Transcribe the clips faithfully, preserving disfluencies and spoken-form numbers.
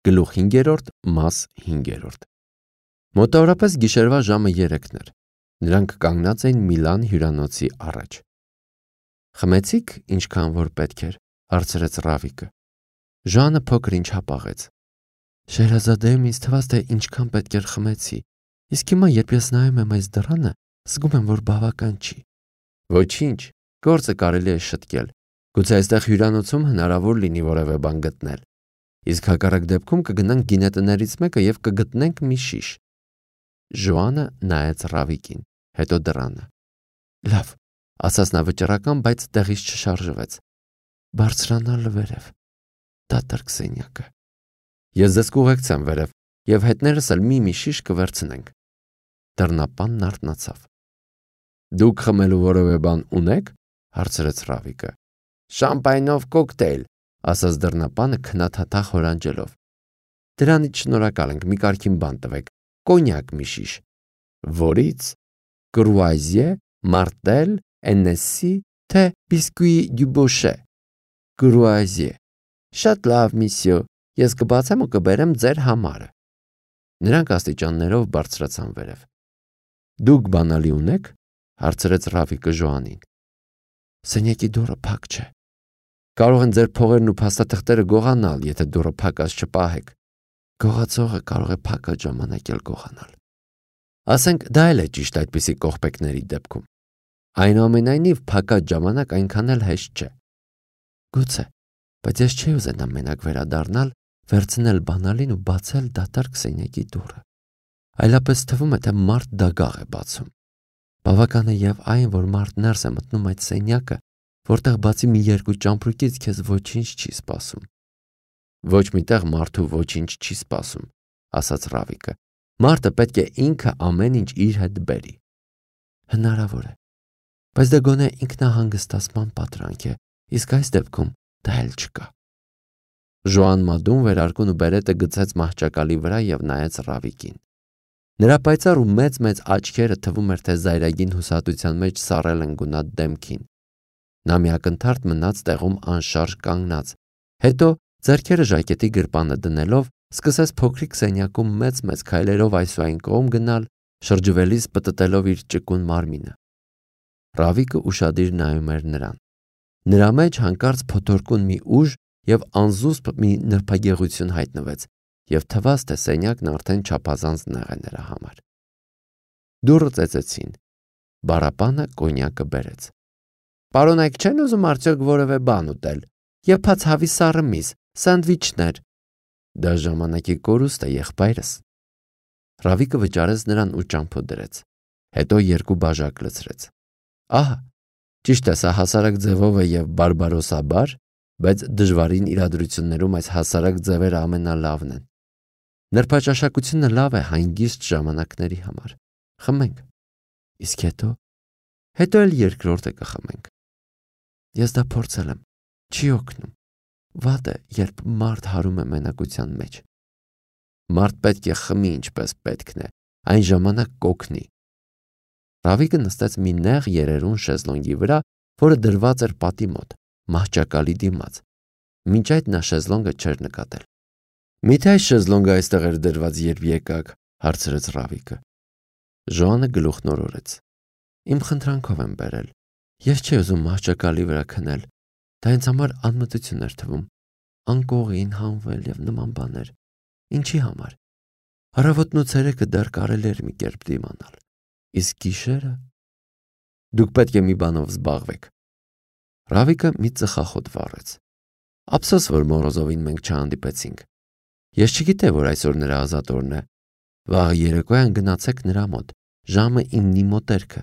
Գլուխ հինգերորդ, մաս հինգերորդ։ Մոտավորապես գիշերվա ժամը երեքն էր։ Նրանք կանգնած էին Միլան հյուրանոցի առաջ։ Խմեցիք ինչքան որ պետք էր, հարցրեց Ռավիկը։ Ժանը փոքր ինչ հապաղեց։ Շեհրազադեում ինձ թվաց, թե ինչքան պետք էր խմեցի, իսկ հիմա երբ ես նայում եմ այս դռանը, զգում եմ, որ բավական չի։ Ոչինչ, գործը կարելի է շտկել։ Գուցե այստեղ հյուրանոցում հնարավոր լինի որևէ բան գտնել։ Իսկ հակառակ դեպքում կգնանք գինետներից մեկը եւ կգտնենք մի շիշ։ Ժոանը նայեց Ռավիկին, հետո դռանը։ Լավ, ասաց նա վճռական, բայց տեղից չշարժվեց։ Բարձրանալ վերև։ Դատարկ սենյակը։ Ես ձեզ կուղեկցեմ վերև եւ հետներս էլ մի-մի շիշ կվերցնենք։ Դռնապանն արթնացավ։ Դուք խմելու որևէ բան ունեք, հարցրեց Ռավիկը։ Շամպայնով կոկտեյլ, ասաց դռնապանը քնաթաթախ հորանջելով։ Դրանից շնորհակալ ենք, մի կարգին բան տվեք, կոնյակ մի շիշ։ Որից? Կրուազիե, մարտել, էնեսի, թե բիսկուի դյուբոշե։ Կրուազիե։ Շատ լավ, միսյո, ես կբացեմ ու կբերեմ ձեր համարը։ Նրանք աստիճաններով բարձրացան վերև։ Դուք բանալի ունեք, հարցրեց Ռավիկը Ժոանին։ Սենյակի դուռը փակ չէ։ Կարող են ձեր փողերն ու փաստաթղթերը գողանալ, եթե դուռը փակած չպահեք։ Գողացողը կարող է փակած ժամանակ էլ գողանալ։ Ասենք դա էլ է ճիշտ այդպիսի կողպեքների դեպքում։ Այնուամենայնիվ փակած ժամանակ այնքան էլ հեշտ չէ։ Գուցե, բայց ես չի ուզենա մենակ վերադառնալ, վերցնել բանալին ու բացել դատարկ սենյակի դուռը։ Այլապես թվում է, թե մարդ դագաղ է բացում։ Բավական է եւ այն, որ մարդ ներս է մտնում այդ սենյակը, որտեղ բացի մի երկու ճամպրուկից քեզ ոչինչ չի սպասում։ Ոչ միտեղ մարդու ոչինչ չի սպասում, ասաց Ռավիկը։ Մարդը պետք է ինքը ամեն ինչ իր հետ բերի։ Հնարավոր է, բայց դա գոնե ինքնահանգստացման պատրանք է, իսկ այս դեպքում դա էլ չկա։ Ժոան Մադուն վերարկուն ու բերետը գցեց մահճակալի վրա եւ նայեց Ռավիկին։ Նրա պայծառ ու մեծ-մեծ աչքերը թվում էր, թե զայրագին հուսահատության մեջ սառել են գունատ դեմքին։ Նա մի ակնթարթ մնաց տեղում անշարժ կանգնած, հետո ձեռքերը ժակետի գրպանը դնելով սկսեց փոքրիկ սենյակում մեծ-մեծ քայլերով այս ու այն կողմ գնալ, շրջվելիս պտտելով իր ճկուն մարմինը։ Ռավիկը ուշադիր նայում էր նրան։ Նրա մեջ հանկարծ փոթորկուն մի ուժ եւ անզուսպ մի նրբագեղություն հայտնվեց, եւ թվաց, թե սենյակն արդեն չափազանց նեղ է նրա համար։ Դուռը ծեծեցին։ Բարապանը կոնյակը բերեց։ Պարոնայք չեն ուզում արդյոք որևէ բան ուտել։ Եփած հավի սառը միս, սանդվիչներ։ Դա ժամանակի կորուստ է, եղբայրս։ Ռավիկը վճարեց նրան ու ճամփո դրեց։ Հետո երկու բաժակ լցրեց։ Ահա, ճիշտ է, սա հասարակ ձևով է եւ բարբարոսաբար, բայց դժվարին իրադրություններում այս հասարակ ձևերը ամենալավն են։ Նրբաճաշակությունը լավ է հանգիստ ժամանակների համար։ Խմենք։ Իսկ հետո, հետո էլ երկրորդը կխմենք։ Ես դա փորձել եմ, չի օգնում։ Վատ է, երբ մարդ հարում է մենակության մեջ։ Մարդ պետք է խմի ինչպես պետքն է, այն ժամանակ կօգնի։ Ռավիկը նստեց մի նեղ երերուն շեզլոնգի վրա, որը դրված էր պատի մոտ, մահճակալի դիմաց։ Մինչ այդ նա շեզլոնգը չէր նկատել։ Միթե այս շեզլոնգը այստեղ էր դրված, երբ եկաք, հարցրեց Ռավիկը։ Ժոանը գլուխնորորեց։ Իմ խնդրանքով եմ բերել։ Ես չի ուզում մահճակալի վրա քնել։ Դա ինձ համար անմտություն էր թվում։ Անկողին հանվել եւ նման բաներ։ Ինչի համար։ Առավոտն ու ցերեկը դեռ կարելի էր մի կերպ դիմանալ։ Իսկ գիշերը դուք պետք է մի բանով զբաղվեք։ Ռավիկը մի ծխախոտ վառեց։ Ափսոս, որ Մորոզովին մենք չհանդիպեցինք։ Ես չգիտեի, որ այսօր նրա ազատ օրն է։ Վաղ երեկոյան գնացեք նրա մոտ, ժամը իննի մոտերքը։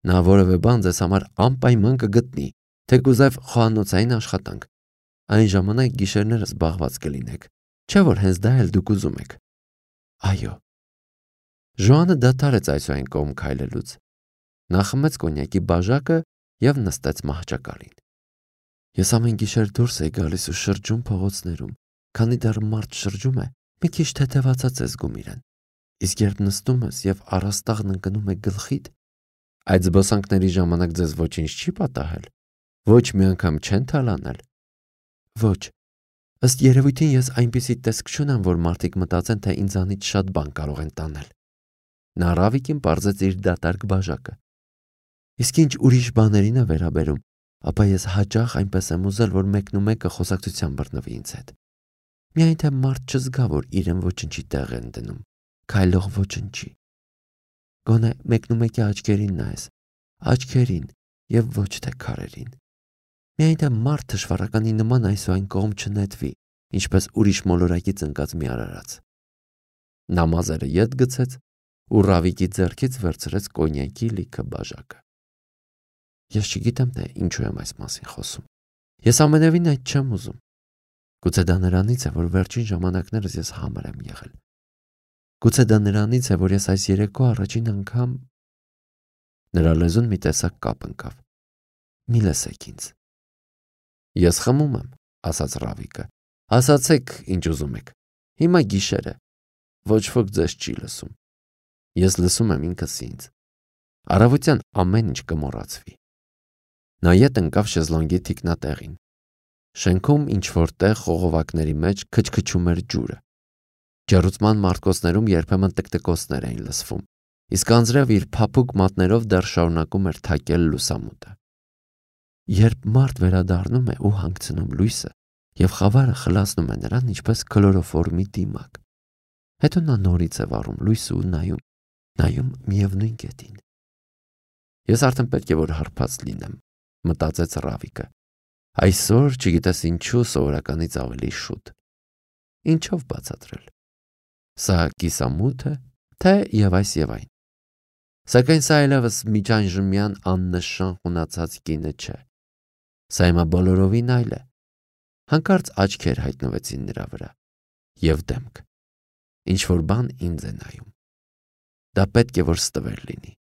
Նա որևէ բան ձեզ համար անպայման կգտնի, թեկուզև խոհանոցային աշխատանք։ Այն ժամանակ գիշերները զբաղված կլինեք, չէ՞ որ հենց դա էլ դուք ուզում եք։ Այո։ Ժոանը դադարեց այս ու այն կողմ քայլելուց։ Նա խմեց կոնյակի բաժակը եւ նստեց մահճակալին։ Ես ամեն գիշեր դուրս էի գալիս ու շրջում փողոցներում, քանի դեռ մարդ շրջում է, մի քիչ թեթևացած է զգում իրեն։ Իսկ երբ նստում ես եւ առաստաղն ընկնում է գլխիդ, այդ զբոսանքների ժամանակ ձեզ ոչինչ չի պատահել։ Ոչ մի անգամ չեն թալանել։ Ոչ, Ըստ երևույթին ես այնպիսի տեսք չունեմ, որ մարդիկ մտածեն, թե ինձանից շատ բան կարող են տանել։ Նա Ռավիկին պարզեց իր դատարկ բաժակը։ Իսկ ինչ ուրիշ բաներին է վերաբերում, ապա ես հաճախ այնպես եմ ուզել, որ մեկնումեկը խոսակցության բռնվի ինձ հետ։ Միայն թե մարդ չզգա, որ իրեն ոչնչի տեղ են դնում, քայլող ոչնչի։ Գոնե մեկնումեկի աչքերին նայես, աչքերին եւ ոչ թե քարերին։ Միայն թե մարդ թշվառականի նման այս ու այն կողմ չնետվի, ինչպես ուրիշ մոլորակից ընկած մի արարած։ Նա մազերը ետ գցեց ու Ռավիկի ձեռքից վերցրեց կոնյակի լիքը բաժակը։ Ես չգիտեմ, թե ինչու եմ այս մասին խոսում։ Ես ամենևին այդ չեմ ուզում։ Գուցե դա նրանից է, որ վերջին ժամանակներս ես համր եմ եղել։ Գուցե դա նրանից է, որ ես այս երեկո առաջին անգամ… Նրա լեզուն մի տեսակ կապ ընկավ։ Մի լսեք ինձ։ Ես խմում եմ, ասաց Ռավիկը։ Ասացեք, ինչ ուզում եք։ Հիմա գիշեր է։ Ոչ ոք ձեզ չի լսում։ Ես լսում եմ ինքս ինձ։ Առավոտյան ամեն ինչ կմոռացվի։ Նա ետ ընկավ շեզլոնգի թիկնատեղին։ Շենքում ինչ-որ տեղ խողովակների մեջ քչքչում էր ջուրը։ Ջեռուցման մարտկոցներում երբեմն տկտկոցներ էին լսվում, իսկ անձրև իր փափուկ մատներով դեռ շարունակում էր թակել լուսամուտը։ Երբ մարդ վերադառնում է ու հանգցնում լույսը, եւ խավարը խլացնում է նրան ինչպես քլորոֆորմի դիմակ, հետո նա նորից է վառում լույսը ու նայում, նայում միևնույն կետին։ Ես արդեն պետք է որ հարբած լինեմ, մտածեց Ռավիկը։ Այսօր չգիտես ինչու սովորականից ավելի շուտ։ Ինչով բացատրել։ Սա կիսամութ է, թե եւ այս եւ այն։ Սակայն սա այլևս միջանժմյան աննշան խունացած կինը չէ։ Սա հիմա բոլորովին այլ է։ Հանկարծ աչքեր հայտնվեցին նրա վրա եւ դեմք։ Ինչ որ բան ինձ է նայում։ Դա պետք է որ ստվեր լինի։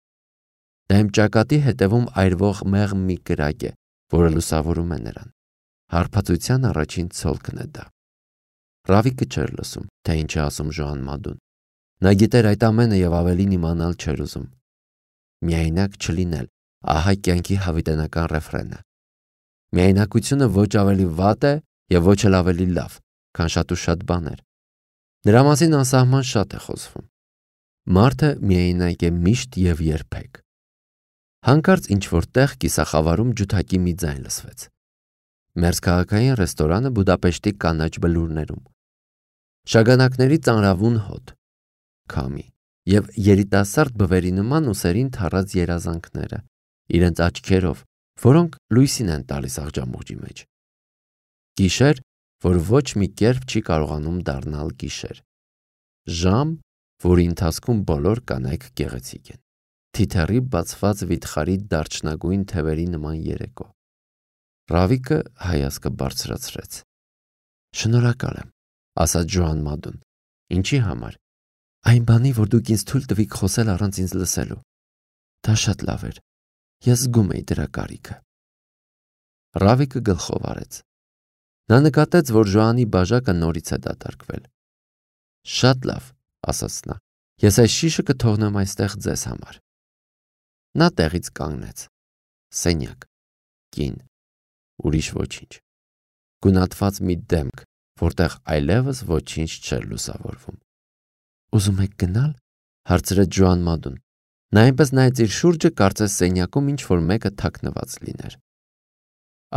Դա իմ ճակատի հետևում այրվող մեղմ մի կրակ է, որը լուսավորում է նրան։ Հարբածության առաջին ցոլքն է դա։ Ռավիկը չէր լսում, թե ինչ է ասում Ժոան Մադուն։ Նա գիտեր այդ ամենը եւ ավելին իմանալ չէր ուզում։ Միայնակ չլինել, ահա կյանքի հավիտենական ռեֆրենը։ Միայնակությունը ոչ ավելի վատ է եւ ոչ էլ ավելի լավ, քան շատ ու շատ բաներ։ Նրա մասին անսահման շատ է խոսվում։ Մարդը միայնակ է միշտ եւ երբեք։ Հանկարծ ինչ-որ տեղ կիսախավարում ջութակի մի ձայն լսվեց։ Մերձքաղաքային ռեստորանը Բուդապեշտի կանաչ բլուրներում։ Շագանակների ծանրավուն հոտ, քամի եւ երիտասարդ բվերի նման ուսերին թառած երազանքները, իրենց աչքերով, որոնք լույսին են տալիս աղջամուղջի մեջ։ Գիշեր, որ ոչ մի կերպ չի կարողանում դառնալ գիշեր։ Ժամ, որի ընթացքում բոլոր կանայք գեղեցիկ են։ Թիթեռի բացված վիթխարի դարչնագույն թևերի նման երեկո։ Ռավիկը հայացքը բարձրացրեց։ Շնորհակալ եմ, ասաց Ժոան Մադուն։ Ինչի համար։ Այն բանի, որ դուք ինձ թույլ տվիք խոսել առանց ինձ լսելու։ Դա շատ լավ էր։ Ես զգում էի դրա կարիքը։ Ռավիկը գլխով արեց։ Նա նկատեց, որ Ժոանի բաժակը նորից է դատարկվել։ Շատ լավ, ասաց նա։ Ես այս շիշը կթողնեմ այստեղ ձեզ համար։ Նա տեղից կանգնեց։ Սենյակ, կին, ուրիշ ոչինչ։ Գունատված մի դեմք, որտեղ այլևս ոչինչ չէր լուսավորվում։ Ուզում եք գնալ, հարցրեց Ժոան Մադուն։ Նա այնպես նայեց իր շուրջը, կարծես սենյակում ինչ որ մեկը թաքնված լիներ։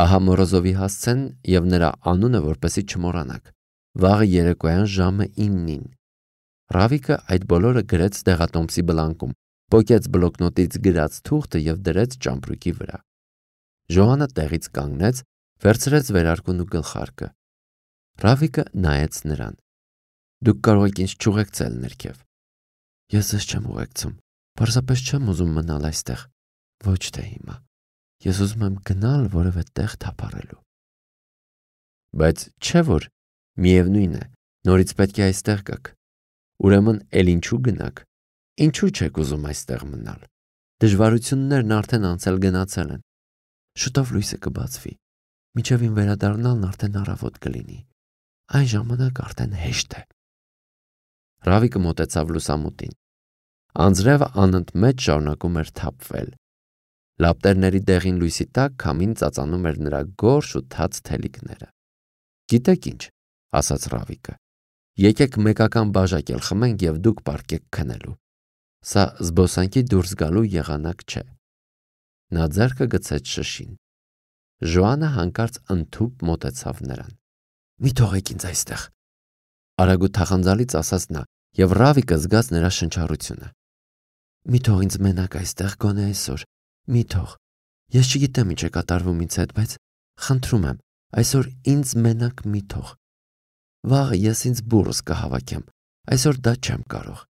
Ահա Մորոզովի հասցեն եւ նրա անունը, որպեսի չմոռանաք։ Վաղը երեկոյան ժամը իննին։ Ռավիկը այդ բոլորը գրեց դեղատոմսի բլանկում, պոկեց բլոկնոտից գրած թուղթը եւ դրեց ճամպրուկի վրա։ Ժոանը տեղից կանգնեց, վերցրեց վերարկուն ու գլխարկը։ Ռավիկը նայեց նրան։ Դուք կարող եք ինձ չուղեկցել ներքև։ Ես ձեզ չեմ ուղեկցում։ Պարզապես չեմ ուզում մնալ այստեղ։ Ոչ թե հիմա։ Ես ուզում եմ գնալ որևէ տեղ թափառելու։ Բայց չէ՞ որ միևնույն է, նորից պետք է այստեղ գաք։ Ուրեմն էլ ինչու գնաք։ Ինչու չեք ուզում այստեղ մնալ։ Դժվարություններն արդեն անցել գնացել են։ Շուտով լույսը կբացվի։ Մինչև ին վերադառնալն արդեն առավոտ կլինի։ Այն ժամանակ արդեն հեշտ է։ Ռավիկը մոտեցավ լուսամուտին։ Անձրևը անընդմեջ շարունակում էր թափվել։ Լապտերների դեղին լույսի տակ քամին ծածանում էր նրա գորշ ու թաց թելիկները։ Գիտեք ինչ, ասաց Ռավիկը։ Եկեք մեկական բաժակ էլ խմենք եւ դուք պարկեք քնելու։ Սա զբոսանքի դուրս գալու եղանակ չէ։ Նա ձեռքը գցեց շշին։ Ժոանը հանկարծ ընդհուպ մոտեցավ նրան։ Մի թողեք ինձ այստեղ։ Արագ ու թախանձալից ասաց նա, եւ Ռավիկը զգաց նրա շնչառությունը։ Մի թող ինձ մենակ այստեղ գոնե այսօր։ Մի թող։ Ես չգիտեմ ինչ է կատարվում ինձ հետ, բայց խնդրում եմ, այսօր ինձ մենակ մի թող։ Վաղը ես ինձ բուրս կհավաքեմ։ Այսօր դա չեմ կարող։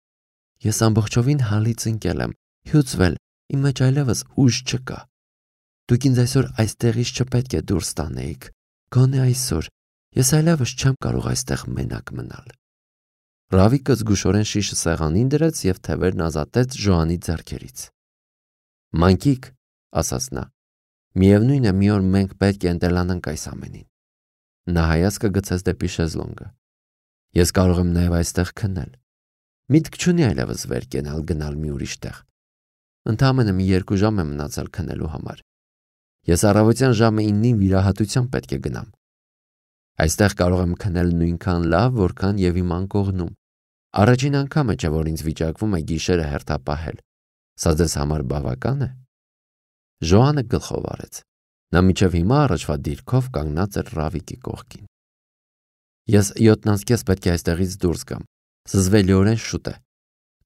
Ես ամբողջովին հալից ընկել եմ, հյուծվել, իմ մեջ այլևս ուժ չկա։ Դուք ինձ այսօր այստեղից չպետք է դուրս տանեիք։ Գոնե այսօր ես այլևս չեմ կարող այստեղ մենակ մնալ։ Ռավիկը զգուշորեն շիշը սեղանին դրեց եւ թևերն ազատեց Ժոանի ձեռքերից։ Մանկիկ, ասաց նա, միևնույն է մի օր մենք պետք է ընտելանանք այս ամենին։ Նա հայացքը գցեց դեպի շեզլոնգը։ Ես կարող եմ նաեւ այստեղ քնել։ Միտք չունի այլևս վեր կենալ գնալ մի ուրիշ տեղ։ Ընդամենը մի երկու ժամ է մնացել քնելու համար։ Ես առավոտյան ժամը իննին վիրահատության պետք է գնամ։ Այստեղ կարող եմ քնել նույնքան լավ, որքան եւ իմ անկողնում։ Առաջին անգամը չէ, որ ինձ վիճակվում է գիշերը հերթապահել։ Սա ձեզ համար բավական է։ Ժոանը գլխով արեց։ Նա միջև հիմա առաջվա դիրքով կանգնած էր Ռավիկի կողքին։ Ես յոթնանց կես պետք է այստեղից դուրս գամ։ Զզվելիորեն շուտ է։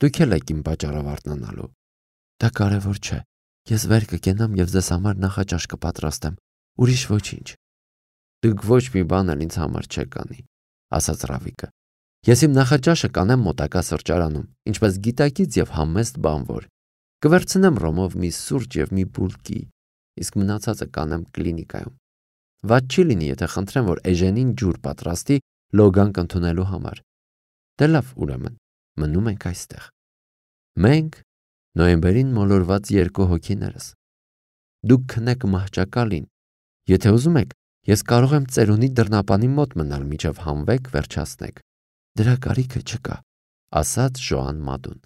Դուք էլ եք իմ պատճառով արթնանալու։ Դա կարևոր չէ։ Ես վեր կգնամ եւ ձեզ համար նախաճաշ կպատրաստեմ։ Ուրիշ ոչինչ։ Դուք ոչ մի բան էլ ինձ համար չեք անի, ասաց Ռավիկը։ Ես իմ նախաճաշը կանեմ մոտակա սրճարանում, ինչպես գիտակից եւ համեստ բանվոր։ Կվերցնեմ ռոմով մի սուրճ եւ մի բուլկի, իսկ մնացածը կանեմ կլինիկայում։ Վատ չի լինի, եթե խնդրեմ, որ Էժենին ջուր պատրաստի լոգանք ընդունելու համար։ Դե լավ, ուրեմն, մնում ենք այստեղ։ Մենք նոյեմբերին մոլորված երկու հոգիներս։ Դուք քնեք մահճակալին։ Եթե ուզում եք, ես կարող եմ ծերունի դռնապանի մոտ մնալ միջև հանվեք վերջացնեք։ Դրա կարիքը չկա, ասաց Ժոան Մադուն։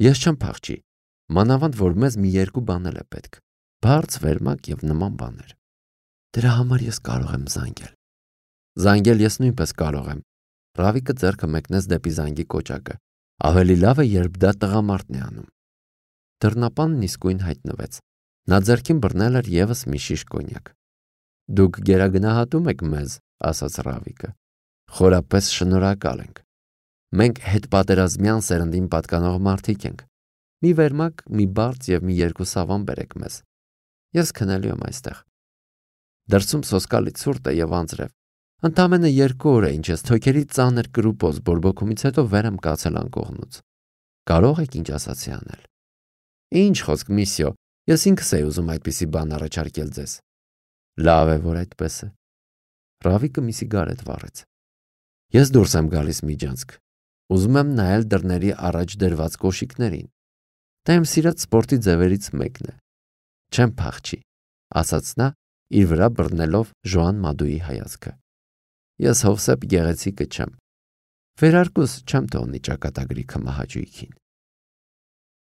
Ես չեմ փախչի, մանավանդ որ մեզ մի երկու բան էլ է պետք։ Բարձ վերմակ եւ նման բաներ։ Դրա համար ես կարող եմ զանգել։ Զանգել ես նույնպես կարող եմ։ Ռավիկը ձեռքը մեկնեց դեպի զանգի կոճակը։ Ավելի լավ է, երբ դա տղամարդն է անում։ Դռնապանն իսկույն հայտնվեց։ Նա ձեռքին բռնել էր եւս մի շիշ կոնյակ։ Դուք գերագնահատում եք մեզ, ասաց Ռավիկը։ Խորապես շնորհակալ ենք։ Մենք հետպատերազմյան սերնդին պատկանող մարդիկ ենք։ Մի վերմակ, մի բարձ եւ մի երկու սավան բերեք մեզ։ Ես քնելու եմ այստեղ։ Դրսում սոսկալի ցուրտ է եւ անձրև։ Ընդամենը երկու օր է, ինչ ես թոքերի ծանր կրուպոզ բորբոքումից հետո վեր եմ կացել անկողնուց։ Կարող եք ինչ ասացի անել։ Ինչ խոսք, միսիո, ես ինքս էի ուզում այդպիսի բան առաջարկել ձեզ։ Լավ է, որ այդպես է։ Ռավիկը մի սիգարետ վառեց։ Ես դուրս եմ գալիս միջանցք։ Ուզում եմ նայել դռների առաջ դրված կոշիկներին։ Դա իմ սիրած սպորտի ձևերից մեկն է։ Չեմ փախչի, ասաց նա, իր վրա բռնելով Ժոան Մադուի հայացքը։ Ես հովսեփ գեղեցիկը չեմ։ Վերարկուս չեմ թողնի ճակատագրի քմահաճույքին։